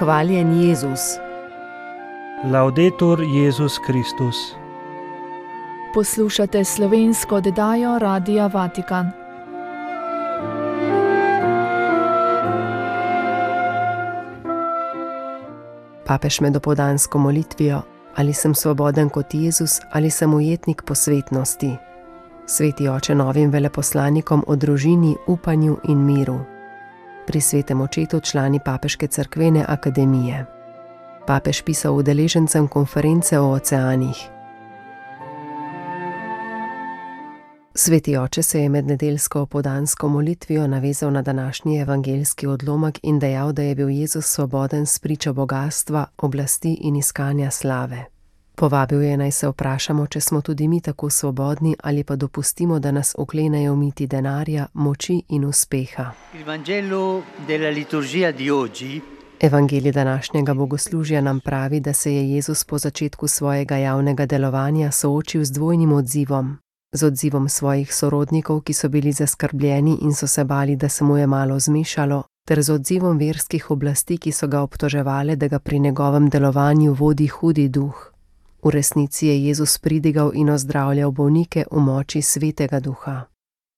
Hvaljen Jezus. Laudetur Jezus Kristus. Poslušate slovensko oddajo Radia Vatikan. Papež med dopoldansko molitvijo: ali sem svoboden kot Jezus ali sem ujetnik posvetnosti. Sveti oče novim veleposlanikom o družini, upanju in miru. Pri svetem očetu člani Papeške cerkvene akademije. Papež pisal udeležencem konference o oceanih. Sveti oče se je med nedeljsko opoldansko molitvijo navezal na današnji evangeljski odlomek in dejal, da je bil Jezus svoboden spričo bogastva, oblasti in iskanja slave. Povabil je, naj se vprašamo, če smo tudi mi tako svobodni ali pa dopustimo, da nas oklenejo miti denarja, moči in uspeha. Evangelij današnjega bogoslužja nam pravi, da se je Jezus po začetku svojega javnega delovanja soočil z dvojnim odzivom. Z odzivom svojih sorodnikov, ki so bili zaskrbljeni in so se bali, da se mu je malo zmešalo, ter z odzivom verskih oblasti, ki so ga obtoževale, da ga pri njegovem delovanju vodi hudi duh. V resnici je Jezus pridigal in ozdravljal bolnike v moči Svetega Duha.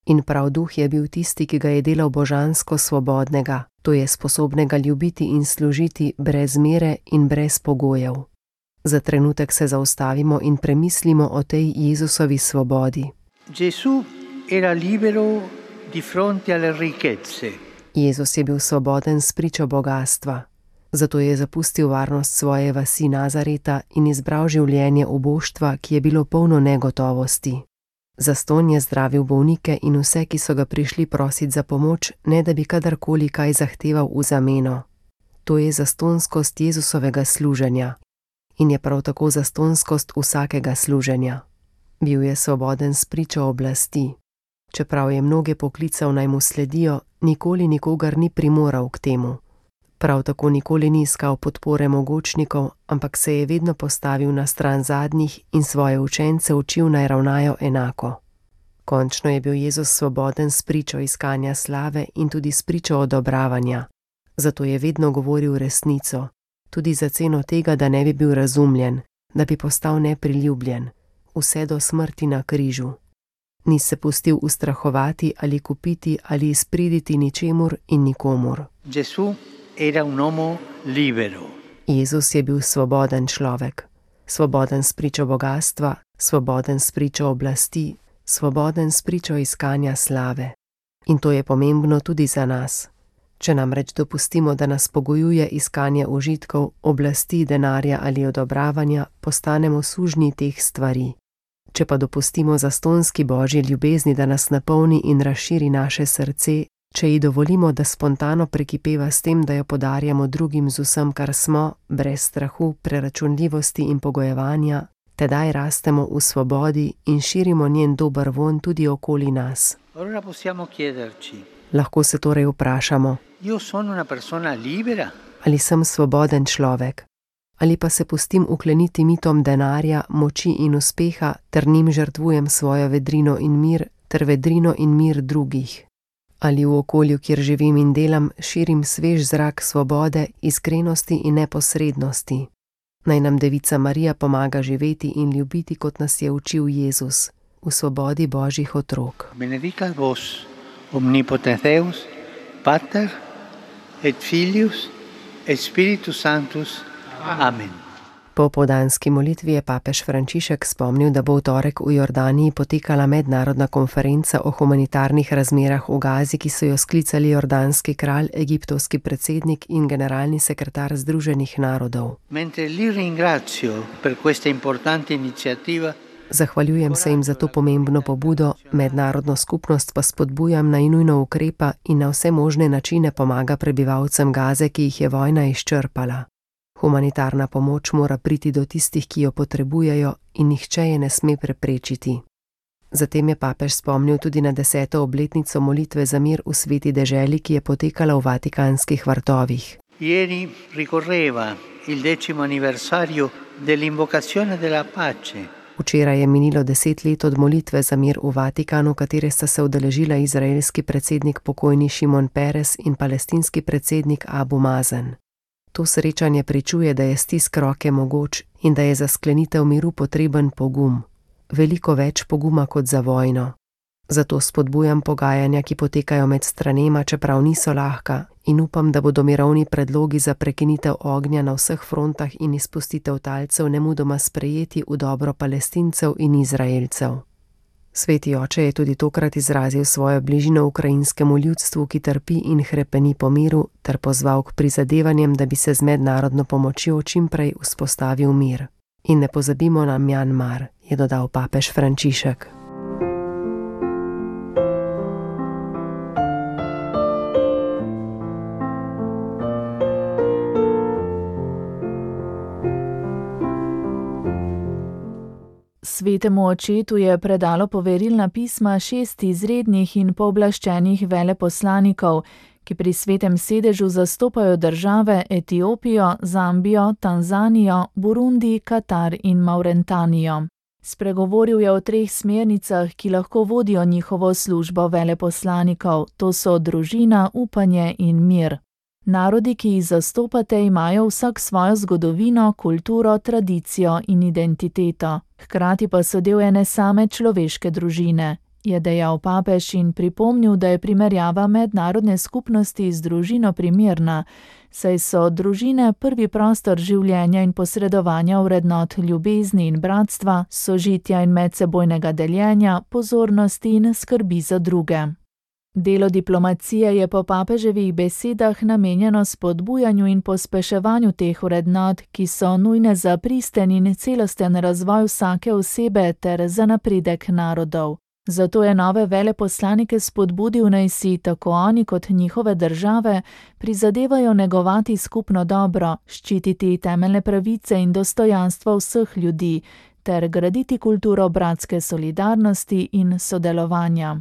In prav Duh je bil tisti, ki ga je delal božansko svobodnega, to je sposobnega ljubiti in služiti brez mere in brez pogojev. Za trenutek se zaustavimo in premislimo o tej Jezusovi svobodi. Jezus je bil svoboden spričo bogastva. Zato je zapustil varnost svoje vasi Nazareta in izbral življenje uboštva, ki je bilo polno negotovosti. Zastonj je zdravil bolnike in vse, ki so ga prišli prosit za pomoč, ne da bi kadarkoli kaj zahteval v zameno. To je zastonskost Jezusovega služenja. In je prav tako zastonskost vsakega služenja. Bil je svoboden spričo oblasti. Čeprav je mnoge poklical, naj mu sledijo, nikoli nikogar ni primoral k temu. Prav tako nikoli ni iskal podpore mogočnikov, ampak se je vedno postavil na stran zadnjih in svoje učence učil, naj ravnajo enako. Končno je bil Jezus svoboden spričo iskanja slave in tudi spričo odobravanja. Zato je vedno govoril resnico. Tudi za ceno tega, da ne bi bil razumljen, da bi postal nepriljubljen, vse do smrti na križu. Ni se pustil ustrahovati ali kupiti ali izpriditi ničemur in nikomur. Jezus je bil svoboden človek, svoboden spričo bogastva, svoboden spričo oblasti, svoboden spričo iskanja slave. In to je pomembno tudi za nas. Če namreč dopustimo, da nas pogojuje iskanje užitkov, oblasti, denarja ali odobravanja, postanemo sužnji teh stvari. Če pa dopustimo zastonski Božji ljubezni, da nas napolni in razširi naše srce, če ji dovolimo, da spontano prekipeva s tem, da jo podarjamo drugim z vsem, kar smo, brez strahu, preračunljivosti in pogojevanja, tedaj rastemo v svobodi in širimo njen dober vonj tudi okoli nas. Lahko se torej vprašamo: ali sem svoboden človek? Ali pa se pustim ukleniti mitom denarja, moči in uspeha, ter njim žrtvujem svojo vedrino in mir, ter vedrino in mir drugih? Ali v okolju, kjer živim in delam, širim svež zrak svobode, iskrenosti in neposrednosti? Naj nam Devica Marija pomaga živeti in ljubiti, kot nas je učil Jezus, v svobodi Božjih otrok. Benedicat vos omnipotens Deus, Pater et Filius et Spiritus Sanctus. Amen. Po opoldanski molitvi je papež Frančišek spomnil, da bo v torek v Jordaniji potekala mednarodna konferenca o humanitarnih razmerah v Gazi, ki so jo sklicali jordanski kralj, egiptovski predsednik in generalni sekretar Združenih narodov. Zahvaljujem se jim za to pomembno pobudo, mednarodno skupnost pa spodbujam, naj nujno ukrepa in na vse možne načine pomaga prebivalcem Gaze, ki jih je vojna izčrpala. Humanitarna pomoč mora priti do tistih, ki jo potrebujejo, in nihče je ne sme preprečiti. Zatem je papež spomnil tudi na 10. obletnico molitve za mir v sveti deželi, ki je potekala v Vatikanskih vrtovih. Ieri ricorreva il 10. anniversario dell'invocazione della pace. Včeraj je minilo 10 let od molitve za mir v Vatikanu, katere sta se udeležila izraelski predsednik pokojni Šimon Peres in palestinski predsednik Abu Mazen. To srečanje pričuje, da je stisk roke mogoč in da je za sklenitev miru potreben pogum. Veliko več poguma kot za vojno. Zato spodbujam pogajanja, ki potekajo med stranema, čeprav niso lahka, in upam, da bodo mirovni predlogi za prekinitev ognja na vseh frontah in izpustitev talcev nemudoma sprejeti v dobro Palestincev in Izraelcev. Sveti oče je tudi tokrat izrazil svojo bližino ukrajinskemu ljudstvu, ki trpi in hrepeni po miru, ter pozval k prizadevanjem, da bi se z mednarodno pomočjo čimprej vzpostavil mir. In ne pozabimo na Mjanmar, je dodal papež Frančišek. Svetemu očetu je predalo poverilna pisma 6 izrednih in pooblaščenih veleposlanikov, ki pri svetem sedežu zastopajo države Etiopijo, Zambijo, Tanzanijo, Burundi, Katar in Mauretanijo. Spregovoril je o 3 smernicah, ki lahko vodijo njihovo službo veleposlanikov, to so družina, upanje in mir. Narodi, ki jih zastopate, imajo vsak svojo zgodovino, kulturo, tradicijo in identiteto. Hkrati pa so del ene same človeške družine, je dejal papež in pripomnil, da je primerjava mednarodne skupnosti z družino primerna, saj so družine prvi prostor življenja in posredovanja vrednot ljubezni in bratstva, sožitja in medsebojnega deljenja, pozornosti in skrbi za druge. Delo diplomacije je po papeževih besedah namenjeno spodbujanju in pospeševanju teh vrednot, ki so nujne za pristen in celosten razvoj vsake osebe ter za napredek narodov. Zato je nove veleposlanike spodbudil, naj si tako oni kot njihove države prizadevajo negovati skupno dobro, ščititi temeljne pravice in dostojanstvo vseh ljudi ter graditi kulturo bratske solidarnosti in sodelovanja.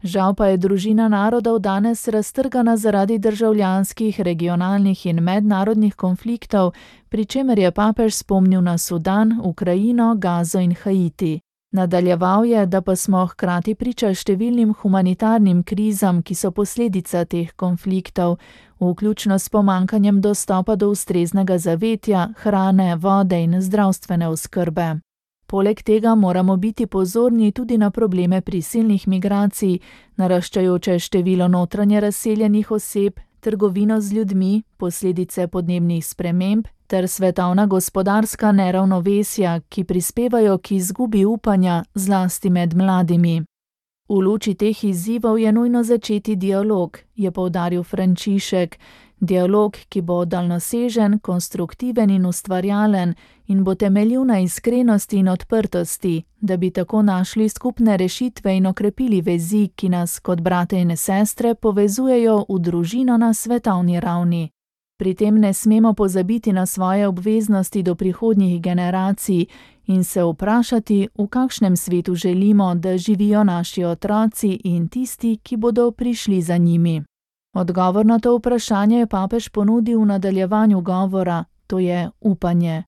Žal pa je družina narodov danes raztrgana zaradi državljanskih, regionalnih in mednarodnih konfliktov, pri čemer je papež spomnil na Sudan, Ukrajino, Gazo in Haiti. Nadaljeval je, da pa smo hkrati priča številnim humanitarnim krizam, ki so posledica teh konfliktov, vključno s pomanjkanjem dostopa do ustreznega zavetja, hrane, vode in zdravstvene oskrbe. Poleg tega moramo biti pozorni tudi na probleme prisilnih migracij, naraščajoče število notranje razseljenih oseb, trgovino z ljudmi, posledice podnebnih sprememb ter svetovna gospodarska neravnovesja, ki prispevajo k izgubi upanja, zlasti med mladimi. V luči teh izzivov je nujno začeti dialog, je poudaril Frančišek. Dialog, ki bo daljnosežen, konstruktiven in ustvarjalen in bo temeljil na iskrenosti in odprtosti, da bi tako našli skupne rešitve in okrepili vezi, ki nas kot brate in sestre povezujejo v družino na svetovni ravni. Pri tem ne smemo pozabiti na svoje obveznosti do prihodnjih generacij in se vprašati, v kakšnem svetu želimo, da živijo naši otroci in tisti, ki bodo prišli za njimi. Odgovor na to vprašanje je papež ponudil v nadaljevanju govora, to je upanje.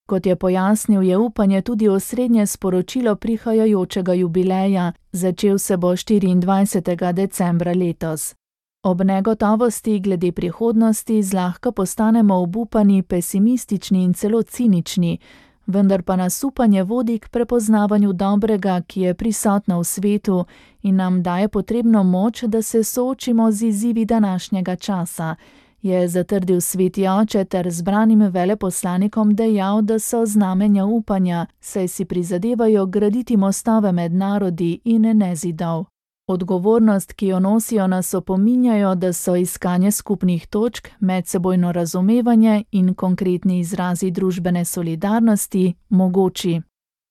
Kot je pojasnil, je upanje tudi osrednje sporočilo prihajajočega jubileja, začel se bo 24. decembra letos. Ob negotovosti glede prihodnosti zlahka postanemo obupani, pesimistični in celo cinični, vendar pa nas upanje vodi k prepoznavanju dobrega, ki je prisotno v svetu in nam daje potrebno moč, da se soočimo z izzivi današnjega časa, je zatrdil sveti oče ter zbranim veleposlanikom dejal, da so znamenja upanja, saj si prizadevajo graditi mostove med narodi in ne zidov. Odgovornost, ki jo nosijo, nas opominjajo, da so iskanje skupnih točk, medsebojno razumevanje in konkretni izrazi družbene solidarnosti mogoči.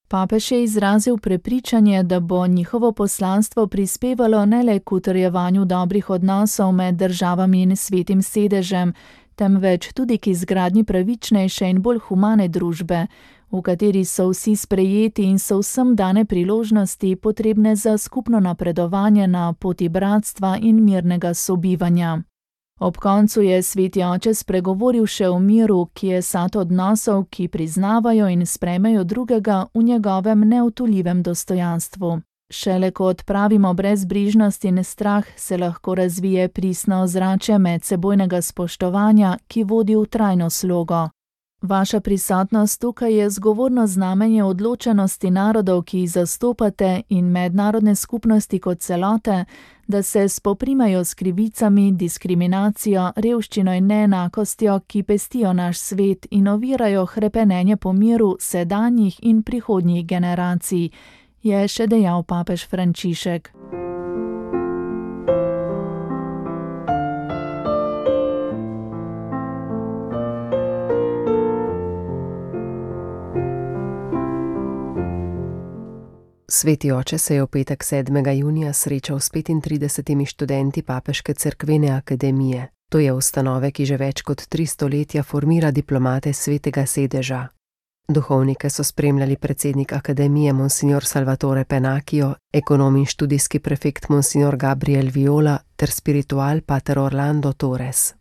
Papež je izrazil prepričanje, da bo njihovo poslanstvo prispevalo ne le k utrjevanju dobrih odnosov med državami in svetim sedežem, temveč tudi k izgradnji pravičnejše in bolj humane družbe, v kateri so vsi sprejeti in so vsem dane priložnosti potrebne za skupno napredovanje na poti bratstva in mirnega sobivanja. Ob koncu je sveti oče spregovoril še o miru, ki je sad odnosov, ki priznavajo in sprejmejo drugega v njegovem neodtujljivem dostojanstvu. Šele ko odpravimo brezbrižnost in strah, se lahko razvije pristno ozračje medsebojnega spoštovanja, ki vodi v trajno slogo. Vaša prisotnost tukaj je zgovorno znamenje odločenosti narodov, ki jih zastopate, in mednarodne skupnosti kot celote, da se spoprimejo s krivicami, diskriminacijo, revščino in neenakostjo, ki pestijo naš svet in ovirajo hrepenenje po miru sedanjih in prihodnjih generacij, je še dejal papež Frančišek. Sveti oče se je v petek 7. junija srečal s 35 študenti Papeške cerkvene akademije. To je ustanove, ki že več kot 3 stoletja formira diplomate Svetega sedeža. Duhovnike so spremljali predsednik akademije monsignor Salvatore Pennacchio, ekonom in študijski prefekt monsignor Gabriel Viola ter spiritual pater Orlando Torres.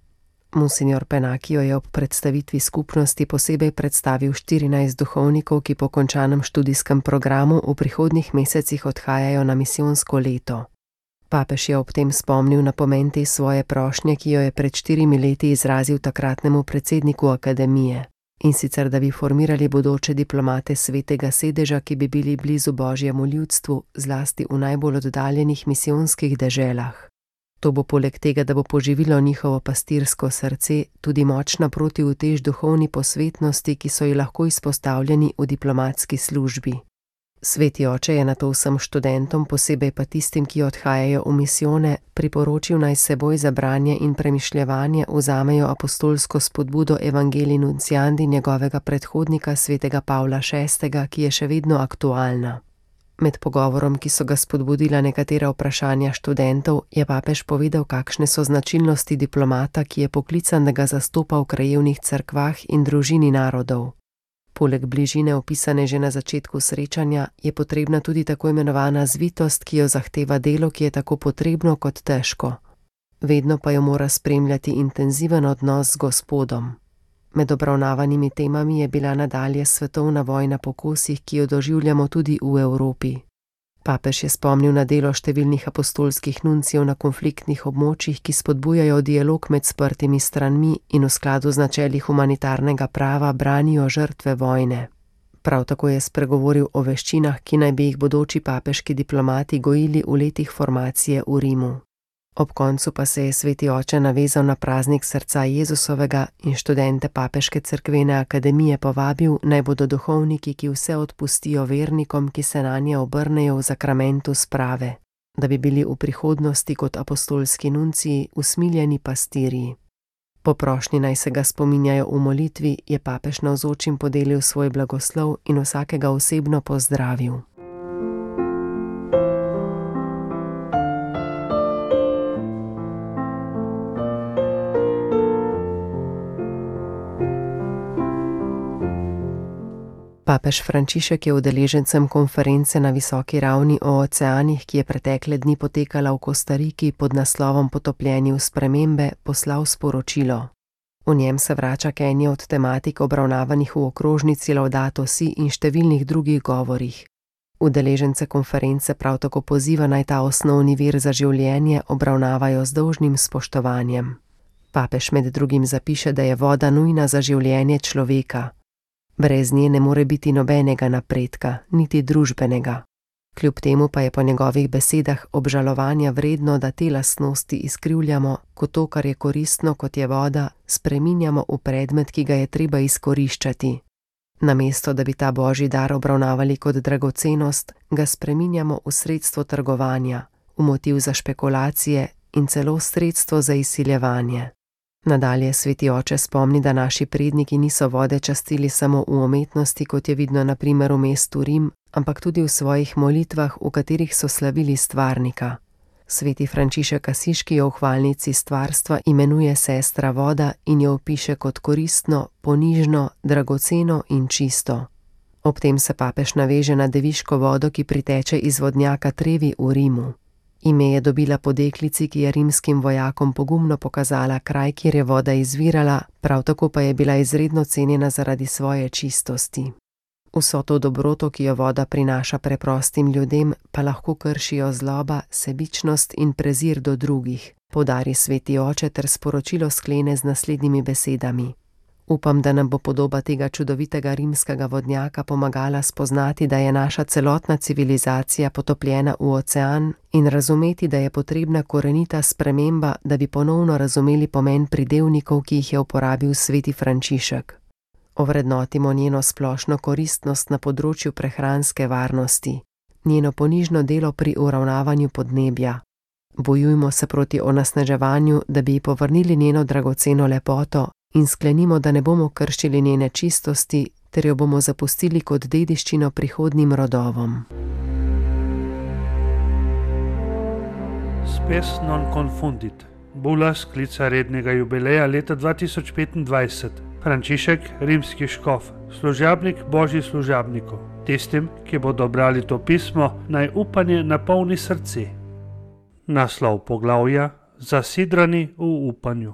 Monsignor Pennacchio je ob predstavitvi skupnosti posebej predstavil 14 duhovnikov, ki po končanem študijskem programu v prihodnjih mesecih odhajajo na misijonsko leto. Papež je ob tem spomnil na pomen te svoje prošnje, ki jo je pred 4 leti izrazil takratnemu predsedniku akademije, in sicer da bi formirali bodoče diplomate Svetega sedeža, ki bi bili blizu Božjemu ljudstvu, zlasti v najbolj oddaljenih misijonskih deželah. To bo poleg tega, da bo poživilo njihovo pastirsko srce, tudi močna protiutež duhovni posvetnosti, ki so ji lahko izpostavljeni v diplomatski službi. Sveti oče je nato vsem študentom, posebej pa tistim, ki odhajajo v misijone, priporočil naj seboj za branje in premišljevanje vzamejo apostolsko spodbudo Evangelii Nunciandi njegovega predhodnika svetega Pavla VI., ki je še vedno aktualna. Med pogovorom, ki so ga spodbudila nekatera vprašanja študentov, je papež povedal, kakšne so značilnosti diplomata, ki je poklican, da ga zastopa v krajevnih cerkvah in družini narodov. Poleg bližine opisane že na začetku srečanja, je potrebna tudi tako imenovana zvitost, ki jo zahteva delo, ki je tako potrebno kot težko. Vedno pa jo mora spremljati intenziven odnos z Gospodom. Med obravnavanimi temami je bila nadalje svetovna vojna po kosih, ki jo doživljamo tudi v Evropi. Papež je spomnil na delo številnih apostolskih nuncijev na konfliktnih območjih, ki spodbujajo dialog med sprtimi stranmi in v skladu z načeli humanitarnega prava branijo žrtve vojne. Prav tako je spregovoril o veščinah, ki naj bi jih bodoči papeški diplomati gojili v letih formacije v Rimu. Ob koncu pa se je sveti oče navezal na praznik srca Jezusovega in študente Papeške cerkvene akademije povabil, naj bodo duhovniki, ki vse odpustijo vernikom, ki se nanje obrnejo v zakramentu sprave, da bi bili v prihodnosti kot apostolski nunciji usmiljeni pastirji. Po prošnji naj se ga spominjajo v molitvi, je papež navzočim podelil svoj blagoslov in vsakega osebno pozdravil. Papež Frančišek je udeležencem konference na visoki ravni o oceanih, ki je pretekle dni potekala v Kostariki pod naslovom Potopljeni v spremembe, poslal sporočilo. V njem se vrača k eni od tematik obravnavanih v okrožnici Laudato Si in številnih drugih govorih. Udeležence konference prav tako poziva, naj ta osnovni vir za življenje obravnavajo z dolžnim spoštovanjem. Papež med drugim zapiše, da je voda nujna za življenje človeka. Brez nje ne more biti nobenega napredka, niti družbenega. Kljub temu pa je po njegovih besedah obžalovanja vredno, da te lastnosti izkrivljamo, ko to, kar je koristno, kot je voda, spreminjamo v predmet, ki ga je treba izkoriščati. Namesto, da bi ta božji dar obravnavali kot dragocenost, ga spreminjamo v sredstvo trgovanja, v motiv za špekulacije in celo sredstvo za izsiljevanje. Nadalje sveti oče spomni, da naši predniki niso vode častili samo v umetnosti, kot je vidno na primer v mestu Rim, ampak tudi v svojih molitvah, v katerih so slavili stvarnika. Sveti Frančišek Asiški jo v hvalnici stvarstva imenuje sestra voda in jo opiše kot koristno, ponižno, dragoceno in čisto. Ob tem se papež naveže na deviško vodo, ki priteče iz vodnjaka Trevi v Rimu. Ime je dobila po deklici, ki je rimskim vojakom pogumno pokazala kraj, kjer je voda izvirala, prav tako pa je bila izredno cenjena zaradi svoje čistosti. Vso to dobroto, ki jo voda prinaša preprostim ljudem, pa lahko kršijo zloba, sebičnost in prezir do drugih, poudari sveti oče ter sporočilo sklene z naslednjimi besedami. Upam, da nam bo podoba tega čudovitega rimskega vodnjaka pomagala spoznati, da je naša celotna civilizacija potopljena v ocean in razumeti, da je potrebna korenita sprememba, da bi ponovno razumeli pomen pridevnikov, ki jih je uporabil sveti Frančišek. Ovrednotimo njeno splošno koristnost na področju prehranske varnosti, njeno ponižno delo pri uravnavanju podnebja. Bojujmo se proti onesnaževanju, da bi ji povrnili njeno dragoceno lepoto in sklenimo, da ne bomo kršili njene čistosti, ter jo bomo zapustili kot dediščino prihodnjim rodovom. Spes non confundit. Bula sklica rednega jubileja leta 2025. Frančišek, rimski škof, služabnik božjih služabnikov. Tistim, ki bodo brali to pismo, naj upanje napolni srce. Naslov poglavja: Zasidrani v upanju.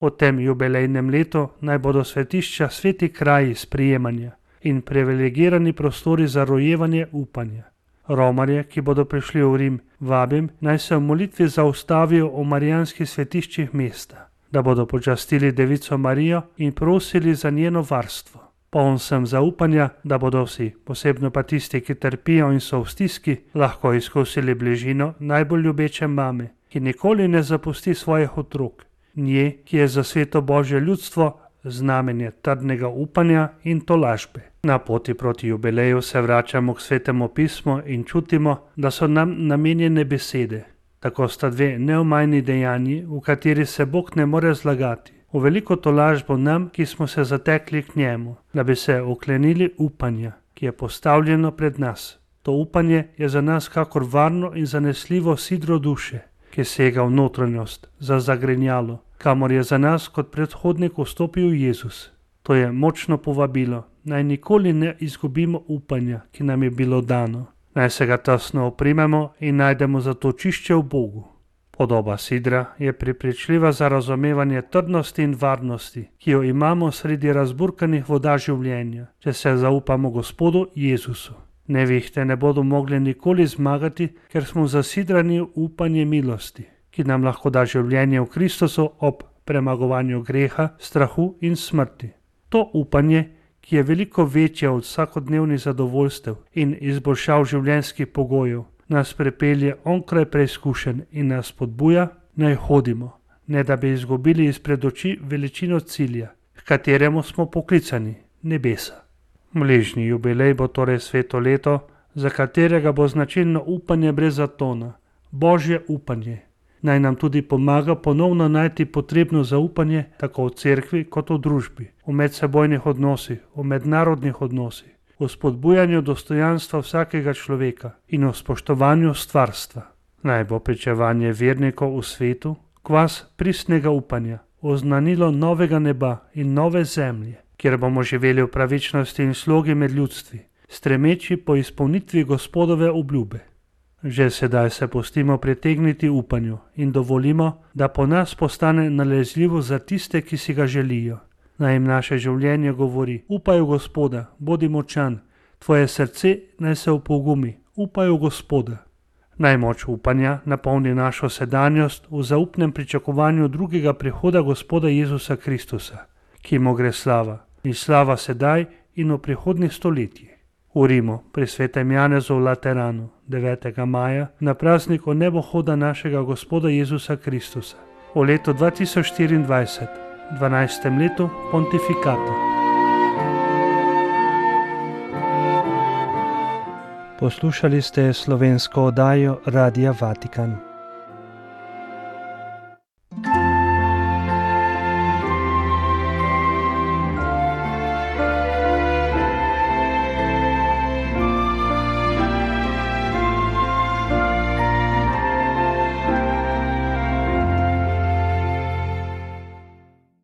V tem jubilejnem letu naj bodo svetišča sveti kraji sprijemanja in privilegirani prostori za rojevanje upanja. Romarje, ki bodo prišli v Rim, vabim, naj se v molitvi zaustavijo v marijanskih svetiščih mesta, da bodo počastili Devico Marijo in prosili za njeno varstvo. Poln sem zaupanja, da bodo vsi, posebno pa tisti, ki trpijo in so v stiski, lahko izkusili bližino najbolj ljubeče mame, ki nikoli ne zapusti svojih otrok, nje, ki je za sveto božje ljudstvo znamenje trdnega upanja in tolažbe. Na poti proti jubileju se vračamo k svetemu pismu in čutimo, da so nam namenjene besede. Tako sta dve neomajni dejanji, v kateri se Bog ne more zlagati. V veliko tolažbo nam, ki smo se zatekli k njemu, da bi se oklenili upanja, ki je postavljeno pred nas. To upanje je za nas kakor varno in zanesljivo sidro duše, ki sega v notranjost, za zagrenjalo, kamor je za nas kot predhodnik vstopil Jezus. To je močno povabilo, naj nikoli ne izgubimo upanja, ki nam je bilo dano. Naj se ga tesno oprimemo in najdemo zatočišče v Bogu. Podoba sidra je prepričljiva za razumevanje trdnosti in varnosti, ki jo imamo sredi razburkanih voda življenja, če se zaupamo Gospodu Jezusu. Nevihte ne bodo mogli nikoli zmagati, ker smo zasidrani v upanje milosti, ki nam lahko da življenje v Kristusu ob premagovanju greha, strahu in smrti. To upanje, ki je veliko večje od vsakodnevnih zadovoljstev in izboljšav življenjskih pogojev, nas prepelje onkraj preizkušenj in nas spodbuja, naj hodimo, ne da bi izgubili izpred oči veličino cilja, k kateremu smo poklicani, nebesa. Bližnji jubilej bo torej sveto leto, za katerega bo značilno upanje brez zatona, božje upanje. Naj nam tudi pomaga ponovno najti potrebno zaupanje tako v cerkvi kot v družbi, v medsebojnih odnosih, v mednarodnih odnosih, v spodbujanju dostojanstva vsakega človeka in v spoštovanju stvarstva. Naj bo pričevanje vernikov v svetu kvas pristnega upanja, oznanilo novega neba in nove zemlje, kjer bomo živeli v pravičnosti in slogi med ljudstvi, stremeči po izpolnitvi Gospodove obljube. Že sedaj se pustimo pritegniti upanju in dovolimo, da po nas postane nalezljivo za tiste, ki si ga želijo. Naj jim naše življenje govori: upaj v Gospoda, bodi močan, tvoje srce naj se opogumi, upaj v Gospoda. Naj moč upanja napolni našo sedanjost v zaupnem pričakovanju drugega prihoda Gospoda Jezusa Kristusa, ki mu gre slava, in slava sedaj in v prihodnjih stoletjih. V Rimu, pri svetem Janezu v Lateranu, 9. maja, na praznik o nebohoda našega Gospoda Jezusa Kristusa, v letu 2024, 12. letu pontifikata. Poslušali ste slovensko oddajo Radia Vatikan.